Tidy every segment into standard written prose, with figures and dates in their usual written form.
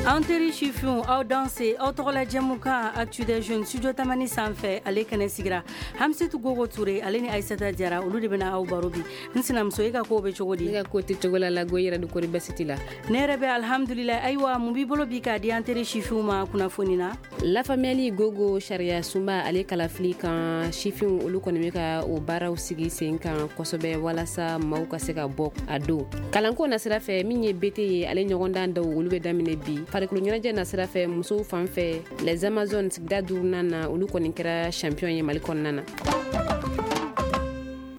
An teri sifinw, aw danse. Aw tɔgɔla jɛmukan Actu des jeunes, studio Tamani sanfɛ, ale kɛnɛ sigira. Hamsetu Gogo Ture, ale ni Aissata Jara, olu de bɛna aw baro bi. N sinamuso, e ka kow bɛ cogo di? Ne ka ko tɛ cogo la lago. Yɛrɛ du, kori basi t'i la? Ne yɛrɛ bɛ alhamdulillah. Ayiwa, mun b'i bolo bi k'a di an teri sifinw ma kunnafoni na? Lafaamuyali gogo, sariya sunba ale kalafili kan, sifinw olu kɔni bɛ ka o baaraw sigi sen kan kosɛbɛ walasa maaw ka se ka bɔ a don. Kalanko nasira fɛ, min ye BT ye, ale ɲɔgɔndan dɔw olu bɛ daminɛ bi. Farikolo ɲɛnajɛ nasira fɛ, musow fan fɛ, les Amazones sigida duurunan na, olu kɔni kɛra champion ye Mali kɔnɔna na.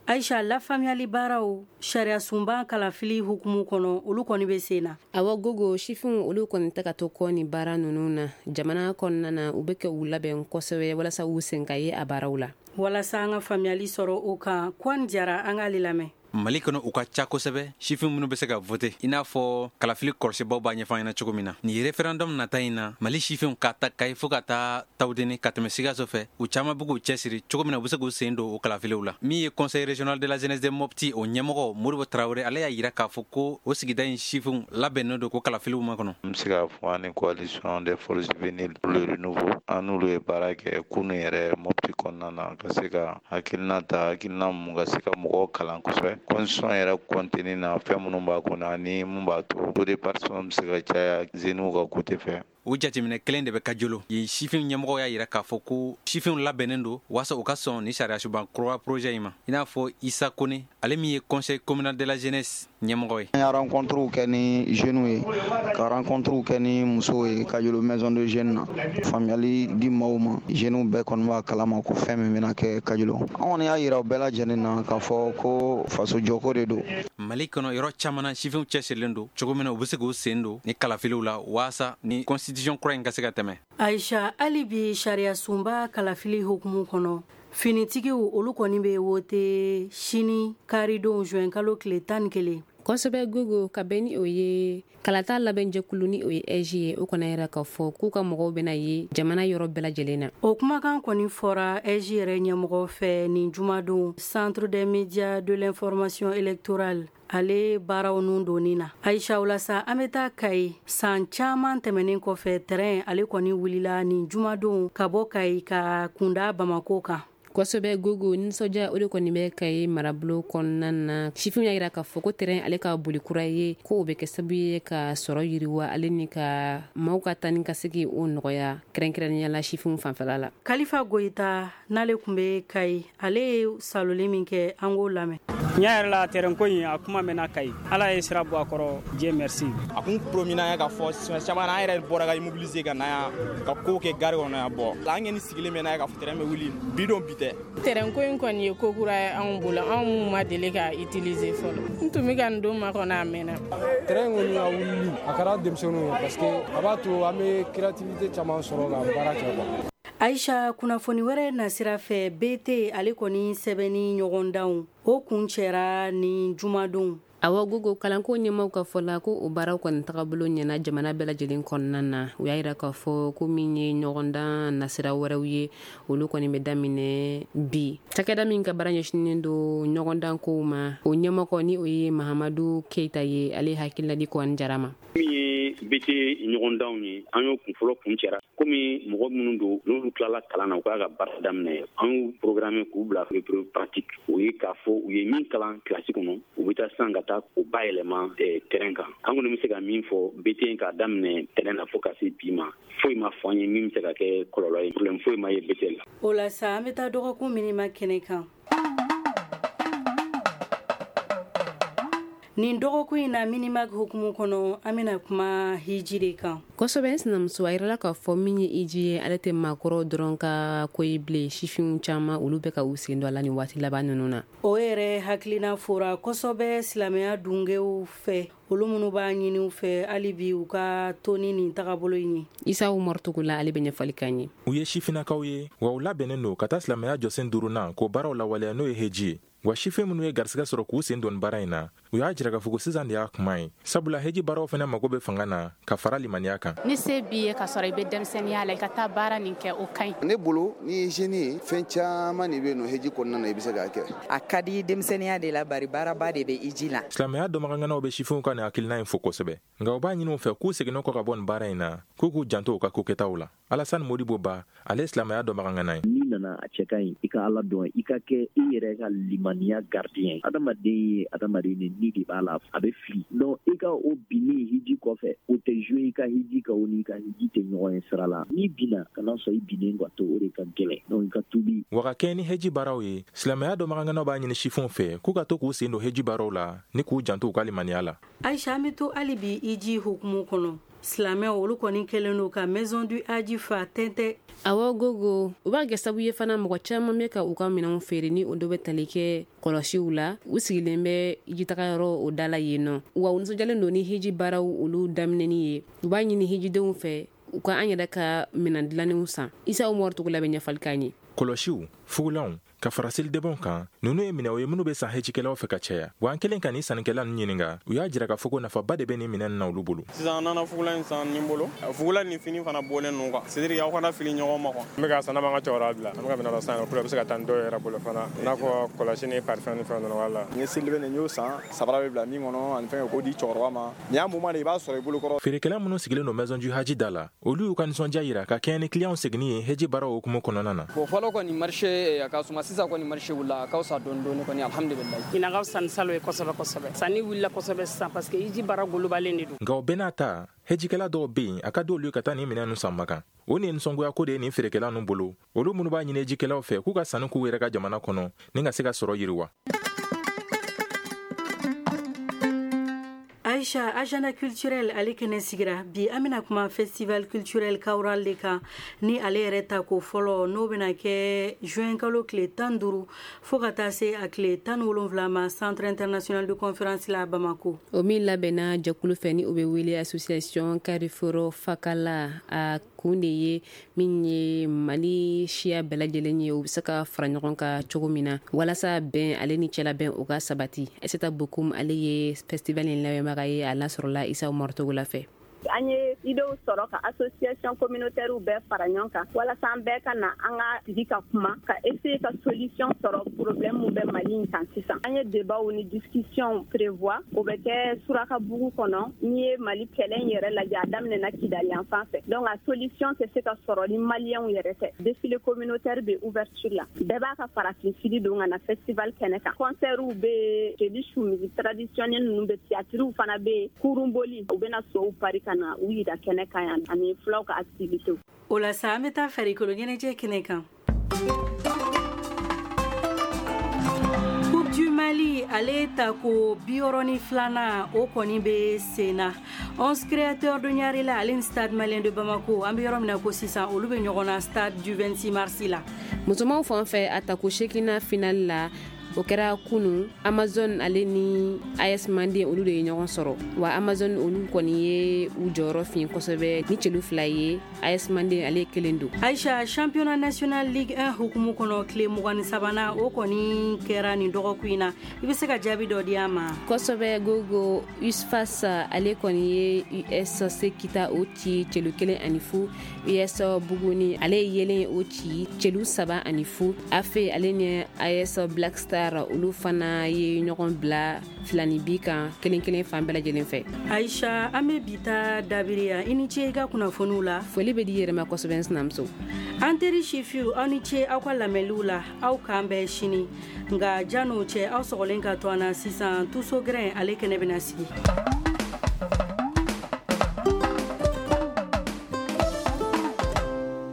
Aisha, lafaamuyali baaraw sariya sunba kalafili hukumu kɔnɔ, olu kɔni bɛ sen na. Awa gogo, sifinw olu kɔni tɛ ka to kɔ ni baara ninnu na jamana kɔnɔna na. U bɛ kɛ u labɛn kosɛbɛ walasa u sen ka ye a baaraw la. Walasa an ka faamuyali sɔrɔ o kan, Kɔni Jara, an k'ale lamɛn. Mali kɔnɔ, u ka ca kosɛbɛ sifin minnu bɛ se ka vote, i n'a fɔ kalafili kɔlɔsibaw b'a ɲɛfɔ ɲɛna cogo min na. Nin référendum nata in na, Mali sifinw, ka ta Kayi fo ka taa Tawudeni, ka tɛmɛ Sikaso fɛ, u caaman b'u k'u cɛsiri cogo min na u be se k'u sen don o kalafiliw la. Min ye Conseil régional de la jeunesse de Mopti, o ɲɛmɔgɔ Modibo Tarawele, ale y'a yira k'a fɔ ko o sigida in sifinw labɛnnen don ko kalafiliw ma kɔnɔ. N bɛ se k'a fɔ an ni Coalition des forces juvéniles pour le renouveau, an n'olu ye baara kɛ kunu yɛrɛ Mopti kɔnɔna na, ka se ka hakilina ta, hakilina mun ka se ka mɔgɔw kalan kosɛbɛ constitution yɛrɛ contenu na, fɛn minnu b'a kɔnɔ ani mun b'a to taux de participation bɛ se ka caya jeunes ka côté fɛ. O jateminɛ kelen de bɛ Kajolo yen. Sifin ɲɛmɔgɔ y'a yira k'a fɔ ko sifinw labɛnnen don waasa u ka sɔn ni sariyasunba kura projet in ma, i n'a fɔ Isa Kone, ale min ye Conseil communal de la jeunesse ɲɛmɔgɔ ye. An ye rencontre kɛ ni jeunes ye, ka rencontre kɛ ni musow ye Kajolo maison de jeunes na, faamuyali di maaw ma. Jeunes bɛɛ kɔni b'a kalama ko fɛn min bɛna kɛ Kajolo, an kɔni y'a yira u bɛɛ lajɛlen na k'a fɔ ko faso jɔko de don. Mali kɔnɔ, yɔrɔ caman na, sifinw cɛsirilen don cogo min na u be se k'u sen don ni kalafiliw la waasa ni constitution kura in ka se ka tɛmɛ. Aisha, hali bi sariya sunba kalafili hukumu kɔnɔ, finitigiw olu kɔni bɛ wote sini karidon, juin kalo tile 11. Kosɛbɛ gogo, ka bɛn ni o ye kalata labɛnjɛkulu ni o ye AIGE ye, o kɔni yɛrɛ ka fɔ k'u ka mɔgɔw bɛna ye jamana yɔrɔ bɛɛ lajɛlen na. O kumakan kɔni fɔra AIGE yɛrɛ ɲɛmɔgɔ fɛ nin jumadon, Centre des médias de l'information électorale ale baaraw nun donni na. Aisha, walasa an bɛ taa Kayi. San caman tɛmɛnen kɔfɛ, tɛrɛn ale kɔni wulila nin jumadon ka bɔ Kayi ka kunda Bamako kan. Kosɛbɛ gogo, nisɔndiya o de kɔni bɛ Kayi marabolo kɔnɔna na. Sifinw y'a yira k'a fɔ ko tɛrɛn ale ka boli kura ye, ko o bɛ kɛ sababu ye ka sɔrɔ yiriwa, ale ni ka maaw ka taa ni ka segi o nɔgɔya, kɛrɛnkɛrɛnnenya la sifinw fanfɛla la. Kalifa Goyita n'ale tun bɛ Kayi, ale ye saloli min kɛ, an k'o lamɛn. Tiɲɛ yɛrɛ la, tɛrɛn ko in a kuma mɛnna Kayi. Ala ye sira bɔ a kɔrɔ, Dieu merci. A kun promis n'an ye k'a fɔ siɲɛ caman an yɛrɛ bɔra ka immobiliser ka na yan, ka kow kɛ gare kɔnɔ yan. Bɔ an kɔni sigilen bɛ n'a ye k'a fɔ tɛrɛn bɛ wuli bi don, bi tɛ. Tɛrɛn ko in kɔni ye ko kura ye anw bolo, anw mun ma deli ka utiliser fɔlɔ. N tun bɛ ka nin don makɔnɔ a mɛnna. Tɛrɛn kɔni a wulili a kɛra denmisɛnninw ye, parce que a b'a to an bɛ créativité caman sɔrɔ ka baara kɛ quoi. Aisha, kunnafoni wɛrɛ nasira fɛ, BT ale kɔni sɛbɛnni ɲɔgɔndanw o kun cɛra ni jumadon. Awa gogo, kalanko ɲɛmaw ka fɔ la ko o baaraw kɔni tagabolo ɲɛna jamana bɛɛ lajɛlen kɔnɔna na. U y'a yira k'a fɔ ko min ye ɲɔgɔndan nasira wɛrɛw ye, olu kɔni bɛ daminɛ bi. Cakɛda min ka baara ɲɛsinnen don ɲɔgɔndan kow ma, o ɲɛmɔgɔ ni o ye Mahamadu Keyita ye, ale hakilina di Kɔni Jara ma. Min ye BT ɲɔgɔndanw ye, an y'o kunfɔlɔ kun cɛra. Komi mɔgɔ minnu don n'olu tilala kalan na, u k'a ka baara daminɛ, an y'u programme k'u bila épreuve pratique. O ye k'a fɔ u ye min kalan kilasi kɔnɔ, u bɛ taa sisan ka taa o bayɛlɛma terrain kan. An kɔni bɛ se ka min fɔ, BT k'a daminɛ terrain na fo ka se bi ma, foyi ma fɔ an ye min bɛ se ka kɛ kɔlɔlɔ ye. Problème foyi ma ye BT la. O la sa, an bɛ taa dɔgɔkun minima kɛnɛ kan. Nin dɔgɔkun in na, minima hukumu kɔnɔ, an bɛna kuma hiji de kan. Kosɛbɛ n sinamuso, a yirala k'a fɔ min ye hiji ye, ale tɛ maakɔrɔw dɔrɔn ka ko ye bilen. Sifinw caman olu bɛ ka u sen don a la nin waati laban ninnu na. O yɛrɛ hakilina fora kosɛbɛ silamɛya dungew fɛ, olu minnu b'a ɲini u fɛ hali bi u ka to ni nin tagabolo in ye. Isa Umaru Togola, ale bɛ ɲɛfɔli k'an ye. U ye sifinnakaw ye wa, u labɛnnen don ka taa silamɛya jɔsen duurunan k'o baaraw lawaleya, n'o ye heji ye. Wa sifin minnu ye garisɛgɛ sɔrɔ k'u sen don baara in na, u y'a jira k'a fɔ ko sisan de y'a kuma ye, sabula heji baaraw fana mago bɛ fanga na ka fara limaniya kan. Ni se b'i ye ka sɔrɔ i bɛ denmisɛnninya la, i ka taa baara nin kɛ, o ka ɲi. Ne bolo, n'i ye jeune ye, fɛn caman de bɛ yen nɔ heji kɔnɔna na i bɛ se k'a kɛ. A ka di denmisɛnninya de la, bari baaraba de bɛ hiji la. Silamɛya dɔnbagaŋanaw bɛ sifinw ka nin hakilina in fo kosɛbɛ, nka u b'a ɲini u fɛ k'u seginna kɔ ka bɔ nin baara in na, k'u k'u janto u ka kokɛtaw la. Alasani Modibo Ba, ale ye silamɛya dɔnbagaŋana ye. N'i nana, a cɛ ka ɲi i ka Ala dɔn, i ka kɛ i yɛrɛ ka limaniya gardien. Adamaden ye adamaden de, ni de b'a la, a bɛ fili. Donc i ka o binni hiji kɔfɛ, o tɛ jouer i ka hiji kan, o n'i ka hiji tɛ ɲɔgɔn ye sira la. N'i binna, kana sɔn i binnen ka to, o de ka gɛlɛn. Donc i ka tuubi. Wa ka kɛɲɛ ni heji baaraw ye, silamɛya dɔnbagaŋanaw b'a ɲini sifinw fɛ k'u ka to k'u sen don heji baaraw la ni k'u janto u ka limaniya la. Aisha, an bɛ to hali bi hiji hukumu kɔnɔ. Silamɛw olu kɔni kɛlen don ka Maison du Hadj fa tɛntɛ. Awɔ Gogo, u b'a kɛ sababu ye fana mɔgɔ caman bɛ ka u ka minɛnw feere ni o dɔ bɛ tali kɛ kɔlɔsiw la. U sigilen bɛ jitagayɔrɔ o da la yen nɔ. Wa u nisɔndiyalen don ni hiji baaraw olu daminɛni ye. U b'a ɲini hijidenw fɛ u ka an yɛrɛ ka minɛn dilannenw san. Isa Umaru Togola bɛ ɲɛfɔli k'an ye. Kɔlɔsiw, fugulanw, ka fara selidɛbɛnw kan, ninnu ye minɛnw ye minnu bɛ san hejikɛlaw fɛ ka caya. Wa an kɛlen ka nin sannikɛla ninnu ɲininka, u y'a jira k'a fɔ ko nafaba de bɛ nin minɛn na olu bolo. Sisan an nana fugulan in san nin bolo, fugulan ni fini fana bɔlen ninnu kan, c'est à dire aw kana fili ɲɔgɔn ma quoi. N bɛ ka san, n'a b'an ka cɛkɔrɔba bila, an bɛ ka minɛn dɔ san pour que a bɛ se ka taa ni dɔw yɛrɛ bolo fana, i n'a fɔ kɔlɔsi ni parfum ni fɛn ninnu wala. N ye selidɛbɛn nin, n y'o san, sabara bɛ bila min kɔnɔ ani fɛn k'o di cɛkɔrɔba ma. Nin y'a moment de i b'a sɔrɔ i bolo kɔrɔ. Feerekɛla minnu sigilen don Maison du Hadj da la, olu y'u ka nisɔndiya jira ka kɛɲɛ ni clients seginni ye heji baaraw hukumu kɔnɔna na. Bon, fɔlɔ kɔni marché a ka suma, sisan kɔni marché wulila, a ka fisa dɔɔni dɔɔni kɔni, alhamdulilayi. Ɲinan ka fisa ni salon ye kosɛbɛ kosɛbɛ. Sanni wulila kosɛbɛ sisan parce que hiji baara golobalen de don. Nka o bɛɛ n'a ta, hejikɛla dɔw bɛ yen, a ka di olu ye ka taa nin minɛn ninnu san Makan. O nin ye nisɔngoya ko de ye nin feerekɛla ninnu bolo, olu minnu b'a ɲini hejikɛlaw fɛ k'u ka sanni k'u yɛrɛ ka jamana kɔnɔ ni ka se ka sɔrɔ yiriwa. Aisha, agenda culturel ale kɛnɛ sigira bi. An bɛna kuma festival culturel Kawral de kan, ni ale yɛrɛ ta ko fɔlɔ, n'o bɛna kɛ juin kalo tile 15 fo ka taa se a tile 17 ma, Centre international de conférence la, Bamako. O min labɛnna jɛkulu fɛ ni o bɛ wele Association Carrefour Fakala, a kun de ye min ye Mali siya bɛɛ lajɛlen ye, u bɛ se ka fara ɲɔgɔn kan cogo min na walasa bɛn ale ni cɛlabɛn o ka sabati. Aissata Bokoum, ale ye festival in labɛnbaga ye, a lasɔrɔla Isa Umaru Togola fɛ. An ye idéew sɔrɔ ka association communautaire bɛɛ fara ɲɔgɔn kan walasa an bɛɛ ka na an ka sigi ka kuma ka essayer ka solution sɔrɔ problème min bɛ Mali in kan sisan. An ye débat ni discussion prévoir, o bɛ kɛ Surakabugu kɔnɔ. N'i ye Mali kɛlɛ in yɛrɛ lajɛ, a daminɛna Kidali yan fan fɛ, donc a solution tɛ se ka sɔrɔ ni maliyɛnw yɛrɛ tɛ. Défilé communautaire bɛ ouverture la, bɛɛ b'a ka farafin fini don ka na festival kɛnɛ kan. Concertw bɛ yen, jeli su musique traditionnelle ninnu bɛ, théâtre fana bɛ yen, kurunboli, u bɛna sow pari ka na u yira kɛnɛ kan yan, ani fulaw ka activité. O la sa, an bɛ taa farikolo ɲɛnajɛ kɛnɛ kan. Coupe du Mali ale tako 62nan, o kɔni bɛ sen na. 11 Créateurs de Niarela ale ni Stade Malien de Bamako, an bɛ yɔrɔ min na ko sisan, olu bɛ ɲɔgɔn na stade du 26 mars la. Musomanw fan fɛ, a tako 8nan finale la, o kɛra kunu. Amazon ale ni AS Mande, olu de ye ɲɔgɔn sɔrɔ. Wa Amazon olu kɔni ye u jɔyɔrɔ fin kosɛbɛ ni celu 2 ye, AS Mande ale ye 1 don. Aisha, championnat national Ligue 1 hukumu kɔnɔ, tile 23nan o kɔni kɛra nin dɔgɔkun in na. I bɛ se ka jaabi dɔ di an ma? Kosɛbɛ Gogo. USFAS ale kɔni ye USC Kita o ci celu 1-0. US Buguni ale ye yelen o ci celu 3-0. AFE ale ni AS Black Star, olu fana ye ɲɔgɔn bila 2 bi kan, 1-1 fan bɛɛ lajɛlen fɛ. Aisha, an bɛ bi ta dabiri yan. I ni ce i ka kunnafoniw la. Foli bɛ di yɛrɛ ma kosɛbɛ, n sinamuso. An teri sifiw, aw ni ce aw ka lamɛnliw la. Aw k'an bɛn sini, nka jan'o cɛ, aw sɔgɔlen ka to an na sisan, tuso gɛrɛn ale kɛnɛ bɛna sigi.